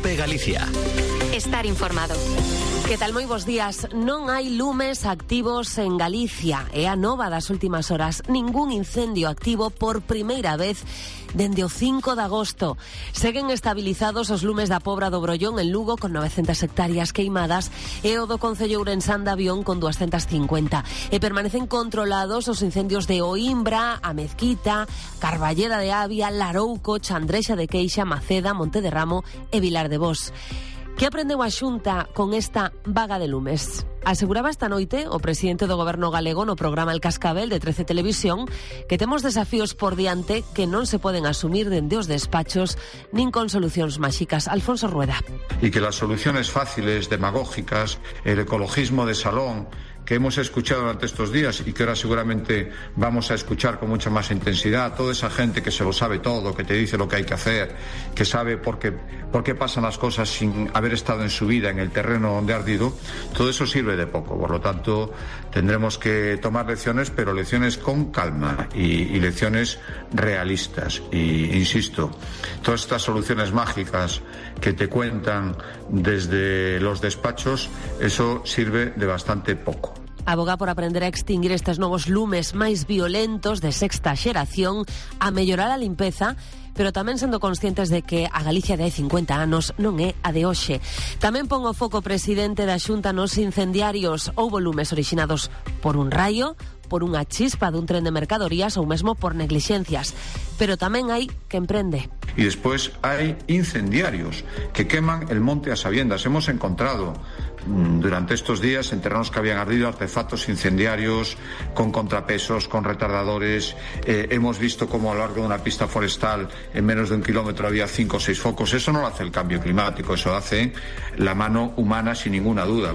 COPE Galicia. Estar informado. Que tal, moi bons días. Non hai lumes activos en Galicia. É a nova das últimas horas. Ningún incendio activo por primeira vez dende o 5 de agosto. Seguen estabilizados os lumes da Pobra do Brollón en Lugo con 900 hectáreas queimadas e o do concello ourensán de Avión con 250. E permanecen controlados os incendios de Oimbra, a Mezquita, Carballeda de Avia, Larouco, Chandrexa de Queixa, Maceda, Monte de Ramo e Vilar de Bos. Que aprendeu a Xunta con esta vaga de lumes? Aseguraba esta noite o presidente do Goberno galego no programa El Cascabel de 13 Televisión que temos desafíos por diante que non se poden asumir dende os despachos nin con solucións máxicas. Alfonso Rueda. Y que las soluciones fáciles, demagógicas, el ecologismo de salón que hemos escuchado durante estos días y que ahora seguramente vamos a escuchar con mucha más intensidad, toda esa gente que se lo sabe todo, que te dice lo que hay que hacer, que sabe por qué pasan las cosas sin haber estado en su vida en el terreno donde ha ardido, todo eso sirve de poco. Por lo tanto, tendremos que tomar lecciones, pero lecciones con calma y lecciones realistas. Y insisto, todas estas soluciones mágicas que te cuentan desde los despachos, eso sirve de bastante poco. Aboga por aprender a extinguir estes novos lumes máis violentos de sexta xeración, a mellorar a limpeza, pero tamén sendo conscientes de que a Galicia de hai 50 anos non é a de hoxe. Tamén pon o foco o presidente da Xunta nos incendiarios. Houbo lumes orixinados por un raio, por unha chispa dun tren de mercadorías ou mesmo por neglixencias. Pero tamén hai que emprende. Y después hay incendiarios que queman el monte a sabiendas. Hemos encontrado durante estos días en terrenos que habían ardido artefactos incendiarios con contrapesos, con retardadores. Hemos visto cómo a lo largo de una pista forestal en menos de 1 kilómetro había 5 o 6 focos. Eso no lo hace el cambio climático, eso hace la mano humana sin ninguna duda.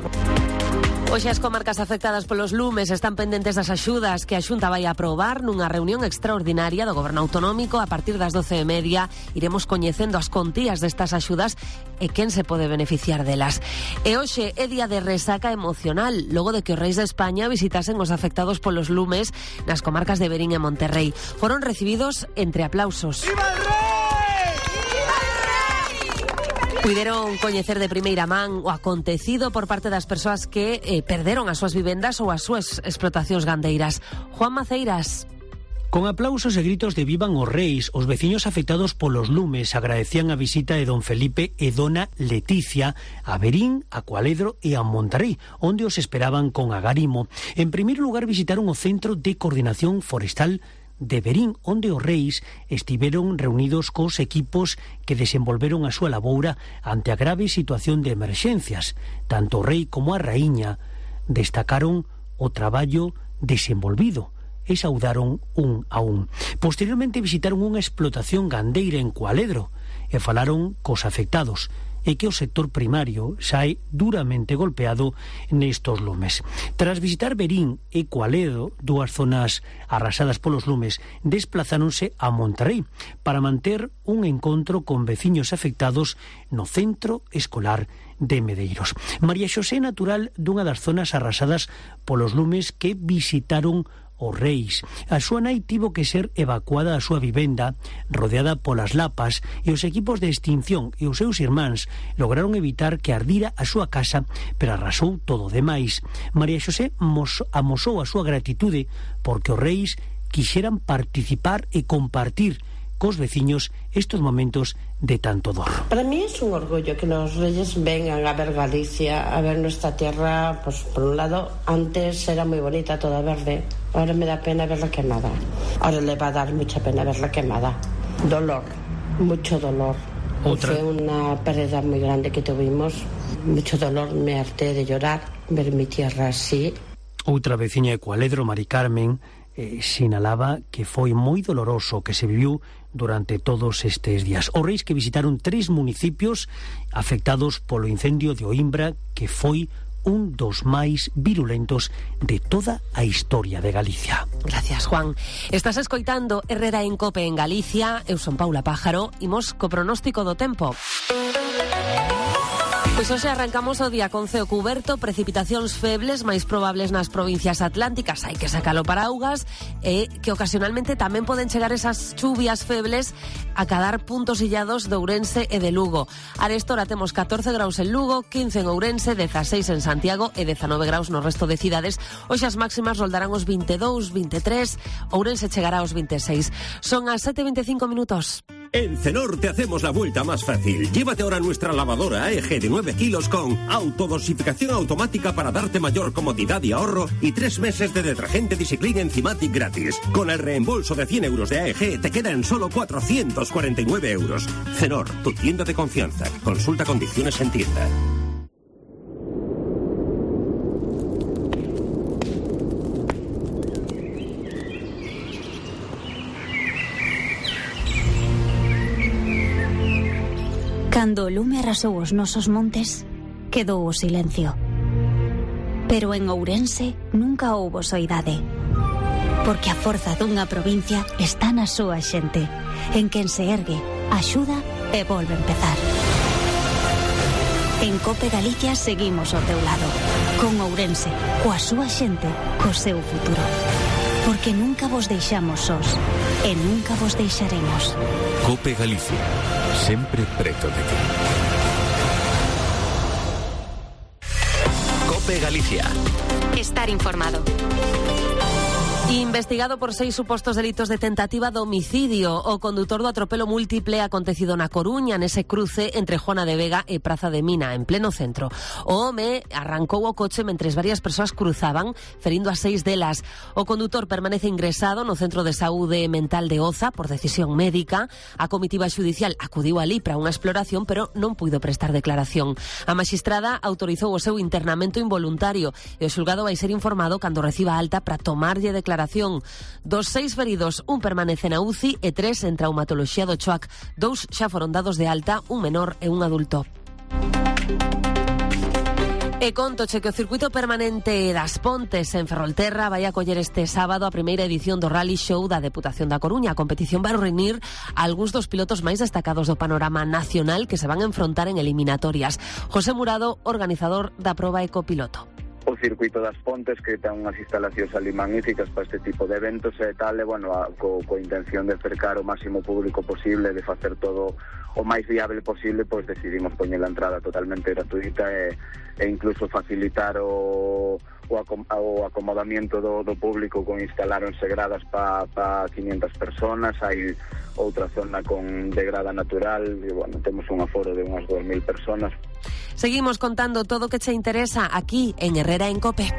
Hoxe as comarcas afectadas polos lumes están pendentes das axudas que a Xunta vai aprobar nunha reunión extraordinaria do Goberno Autonómico. A partir das 12:30 iremos coñecendo as contías destas axudas e quen se pode beneficiar delas. E hoxe é día de resaca emocional, logo de que os reis de España visitasen os afectados polos lumes nas comarcas de Verín e Monterrei. Foron recibidos entre aplausos. ¡Viva el rei! Puideron coñecer de primeira man o acontecido por parte das persoas que perderon as súas vivendas ou as súas explotacións gandeiras. Juan Maceiras. Con aplausos e gritos de vivan os reis, os veciños afectados polos lumes agradecían a visita de don Felipe e dona Leticia a Verín, a Cualedro e a Monterrei, onde os esperaban con agarimo. En primeiro lugar visitaron o Centro de Coordinación Forestal de Verín, onde os reis estiveron reunidos cos equipos que desenvolveron a súa laboura ante a grave situación de emerxencias. Tanto o rei como a raíña destacaron o traballo desenvolvido e saudaron un a un. Posteriormente visitaron unha explotación gandeira en Cualedro e falaron cos afectados e que o sector primario sae duramente golpeado nestos lumes. Tras visitar Verín e Cualedro, dúas zonas arrasadas polos lumes, desplazáronse a Monterrei para manter un encontro con veciños afectados no centro escolar de Medeiros. María Xosé, natural dunha das zonas arrasadas polos lumes que visitaron os reis. A súa nai tivo que ser evacuada da súa vivenda, rodeada polas lapas, e os equipos de extinción e os seus irmáns lograron evitar que ardira a súa casa, pero arrasou todo o demais. María Xosé amosou a súa gratitude porque os reis quixeran participar e compartir cos veciños estos momentos de tanto dor. Para mí es un orgullo que los reyes vengan a ver Galicia, a ver nuestra tierra. Pues por un lado, antes era muy bonita, toda verde. Ahora me da pena verla quemada. Ahora le va a dar mucha pena verla quemada. Dolor, mucho dolor. Fue una pérdida muy grande que tuvimos. Mucho dolor, me harté de llorar, ver mi tierra así. Outra veciña de Cualedro, Mari Carmen, sinalaba que foi moi doloroso que se viviu durante todos estes días. Os reis que visitaron 3 municipios afectados polo incendio de Oimbra, que foi un dos máis virulentos de toda a historia de Galicia. Gracias, Juan. Estás escoitando Herrera en Cope en Galicia. Eu son Paula Pájaro. Imos co pronóstico do tempo. Pois hoxe arrancamos o día con ceo cuberto, precipitacións febles, máis probables nas provincias atlánticas, hai que sacalo para augas, e que ocasionalmente tamén poden chegar esas chuvias febles a cadar puntos illados de Ourense e de Lugo. Arestora temos 14 graus en Lugo, 15 en Ourense, 16 en Santiago e 19 graus no resto de cidades. Hoxe as máximas roldarán os 22, 23, Ourense chegará aos 26. Son as 7:25 minutos. En Cenor te hacemos la vuelta más fácil. Llévate ahora nuestra lavadora AEG de 9 kilos con autodosificación automática para darte mayor comodidad y ahorro y 3 meses de detergente Discipline Enzymatic gratis. Con el reembolso de 100 euros de AEG te queda en solo 449 euros. Cenor, tu tienda de confianza. Consulta condiciones en tienda. Cando o lume arrasou os nosos montes, quedou o silencio. Pero en Ourense nunca houbo soidade. Porque a forza dunha provincia está na súa xente, en quen se ergue, axuda e volve a empezar. En Cope Galicia seguimos ao teu lado, con Ourense, coa súa xente, co seu futuro. Porque nunca vos deixamos sós, e nunca vos deixaremos. Cope Galicia, sempre preto de ti. Cope Galicia. Estar informado. Investigado por 6 supostos delitos de tentativa de homicidio, o condutor do atropelo múltiple acontecido na Coruña, nese cruce entre Juana de Vega e Praza de Mina, en pleno centro. O home arrancou o coche mentres varias persoas cruzaban, ferindo a 6 delas. O condutor permanece ingresado no Centro de Saúde Mental de Oza por decisión médica. A comitiva xudicial acudiu alí para unha exploración, pero non puido prestar declaración. A maxistrada autorizou o seu internamento involuntario e o xulgado vai ser informado cando reciba alta para tomarlle declaración. Dos 6 feridos, un permanece na UCI e 3 en traumatoloxía do Choac. 2 xa foron dados de alta, un menor e un adulto. E contoche que o circuito permanente das Pontes en Ferrolterra vai acoller este sábado a primeira edición do Rally Show da Deputación da Coruña. A competición vai reunir algúns dos pilotos máis destacados do panorama nacional que se van a enfrontar en eliminatorias. José Murado, organizador da proba e copiloto. O circuito das Pontes, que ten unhas instalacións ali magníficas para este tipo de eventos e tal, e, bueno, coa intención de cercar o máximo público posible, de facer todo o máis viable posible, pois decidimos poñer a entrada totalmente gratuita e incluso facilitar o acomodamiento do público, con instalaronse gradas para 500 personas, hai outra zona de grada natural e, bueno, temos un aforo de unhas 2000 personas. Seguimos contando todo o que che interesa aquí en Herrera en Cope.